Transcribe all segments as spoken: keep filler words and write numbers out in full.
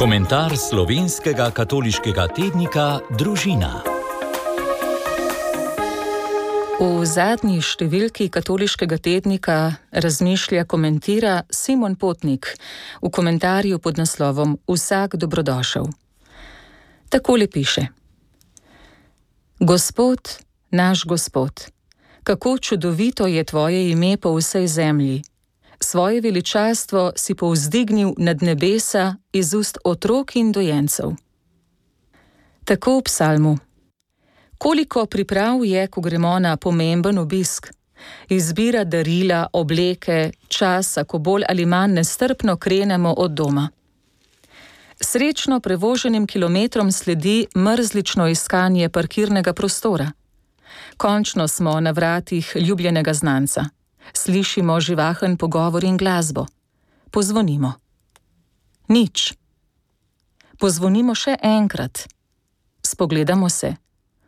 Komentar slovenskega katoliškega tednika Družina. V zadnji številki katoliškega tednika razmišlja, komentira Simon Potnik v komentarju pod naslovom Vsak dobrodošel. Takole piše: Gospod, naš Gospod, kako čudovito je tvoje ime po vsej zemlji. Svoje veličastvo si povzdignil nad nebesa iz ust otrok in dojencev. Tako v psalmu. Koliko priprav je, ko gremo na pomemben obisk? Izbira darila, obleke, časa, ko bolj ali manj nestrpno krenemo od doma. Srečno prevoženim kilometrom sledi mrzlično iskanje parkirnega prostora. Končno smo na vratih ljubljenega znanca. Slišimo živahen pogovor in glasbo. Pozvonimo. Nič. Pozvonimo še enkrat. Spogledamo se.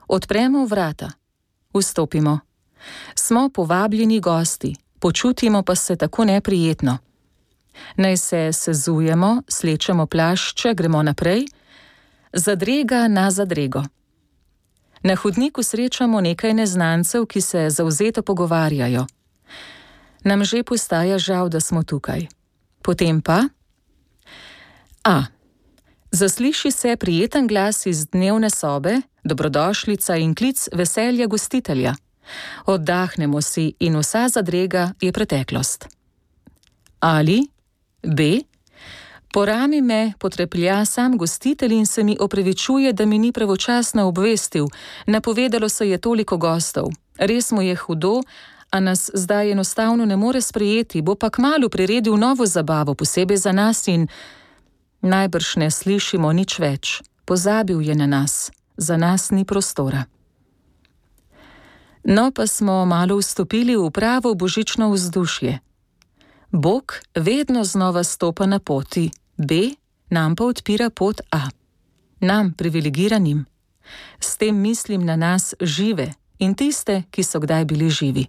Odpremo vrata. Vstopimo. Smo povabljeni gosti, počutimo pa se tako neprijetno. Naj se sezujemo, slečemo plašče, gremo naprej. Zadrega na zadrego. Na hodniku srečamo nekaj neznancev, ki se zavzeto pogovarjajo. Nam že postaja žal, da smo tukaj. Potem pa... A. Zasliši se prijeten glas iz dnevne sobe, dobrodošlica in klic veselja gostitelja. Oddahnemo si in vsa zadrega je preteklost. Ali B. Po rami me potreplja sam gostitelj in se mi opravičuje, da mi ni pravočasno obvestil. Napovedalo se je toliko gostov. Res mu je hudo, a nas zdaj enostavno ne more sprejeti, bo pa kmalu priredil novo zabavo, posebej za nas in najbrž ne slišimo nič več. Pozabil je na nas, za nas ni prostora. No, pa smo malo vstopili v pravo božično vzdušje. Bog vedno znova stopa na poti B, nam pa odpira pot A. Nam, privilegiranim. S tem mislim na nas žive in tiste, ki so kdaj bili živi.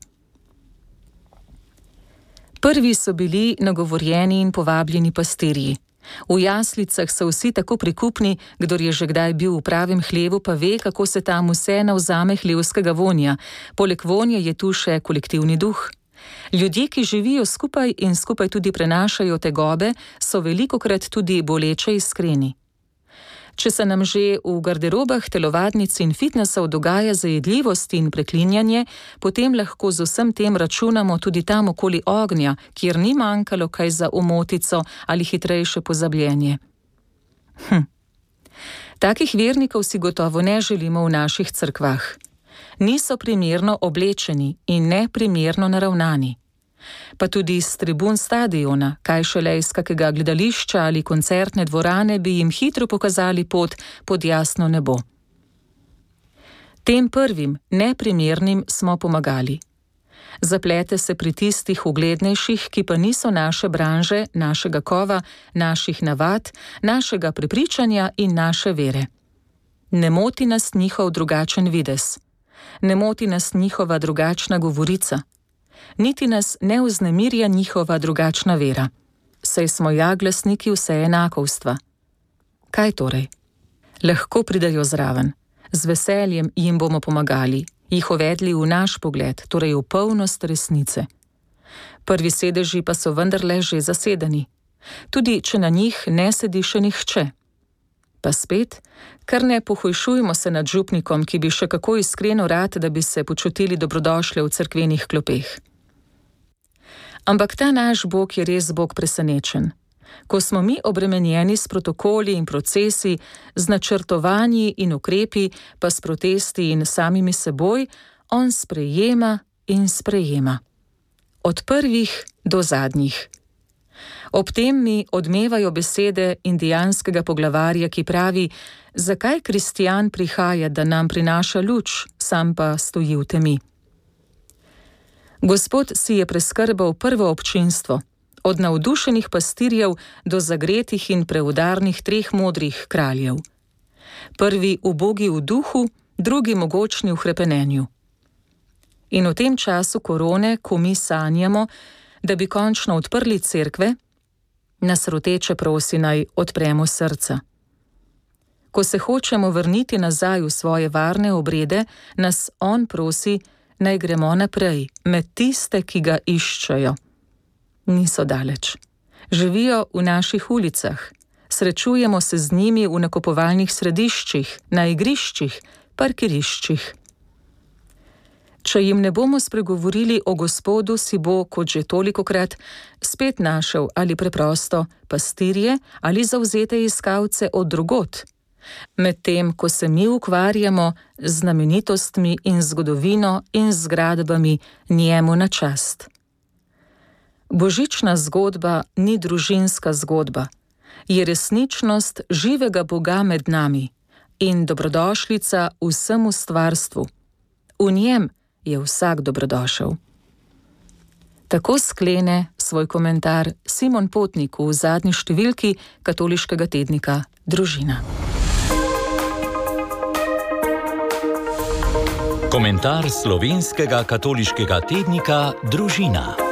Prvi so bili nagovorjeni in povabljeni pastirji. V jaslicah so vsi tako prikupni, kdor je že kdaj bil v pravem hlevu, pa ve, kako se tam vse navzame hlevskega vonja. Poleg vonja je tu še kolektivni duh. Ljudje, ki živijo skupaj in skupaj tudi prenašajo tegobe, so velikokrat tudi boleče iskreni. Če se nam že v garderobah telovadnic in fitnesov dogaja zajedljivost in preklinjanje, potem lahko z vsem tem računamo tudi tam okoli ognja, kjer ni manjkalo kaj za omotico ali hitrejše pozabljenje. Hm. Takih vernikov si gotovo ne želimo v naših cerkvah. Niso primerno oblečeni in neprimerno naravnani. Pa tudi iz tribun stadiona, kaj šele iz kakega gledališča ali koncertne dvorane, bi jim hitro pokazali pot pod jasno nebo. Tem prvim, neprimernim smo pomagali. Zaplete se pri tistih uglednejših, ki pa niso naše branže, našega kova, naših navad, našega prepričanja in naše vere. Ne moti nas njihov drugačen videz. Ne moti nas njihova drugačna govorica. Niti nas ne vznemirja njihova drugačna vera. Saj smo ja glasniki vseenakovstva. Kaj torej? Lahko pridajo zraven. Z veseljem jim bomo pomagali, jih uvedli v naš pogled, torej v polnost resnice. Prvi sedeži pa so vendarle že zasedeni. Tudi če na njih ne sedi še nihče. Pa spet, kar ne pohujšujmo se nad župnikom, ki bi še kako iskreno rad, da bi se počutili dobrodošle v cerkvenih klopeh. Ampak ta naš Bog je res Bog presenečen. Ko smo mi obremenjeni s protokoli in procesi, z načrtovanji in ukrepi, pa s protesti in samimi seboj, on sprejema in sprejema. Od prvih do zadnjih. Ob tem mi odmevajo besede indijanskega poglavarja, ki pravi, zakaj kristijan prihaja, da nam prinaša luč, sam pa stoji v temi. Gospod si je preskrbal prvo občinstvo, od navdušenih pastirjev do zagretih in preudarnih treh modrih kraljev. Prvi ubogi v duhu, drugi mogočni v hrepenenju. In v tem času korone, ko mi sanjamo, da bi končno odprli cerkve, nas roteče prosi, naj odpremo srca. Ko se hočemo vrniti nazaj v svoje varne obrede, nas on prosi, naj gremo naprej, med tiste, ki ga iščejo. Niso daleč. Živijo v naših ulicah. Srečujemo se z njimi v nakupovalnih središčih, na igriščih, parkiriščih. Če jim ne bomo spregovorili o Gospodu, si bo, kot že tolikokrat, spet našel ali preprosto pastirje ali zavzete iskalce od drugod, medtem ko se mi ukvarjamo z znamenitostmi in zgodovino in zgradbami njemu na čast. Božična zgodba ni družinska zgodba, je resničnost živega Boga med nami in dobrodošlica vsemu stvarstvu. V njem je vsak dobrodošel. Tako sklene svoj komentar Simon Potnik v zadnji številki katoliškega tednika Družina. Komentar slovenskega katoliškega tednika Družina.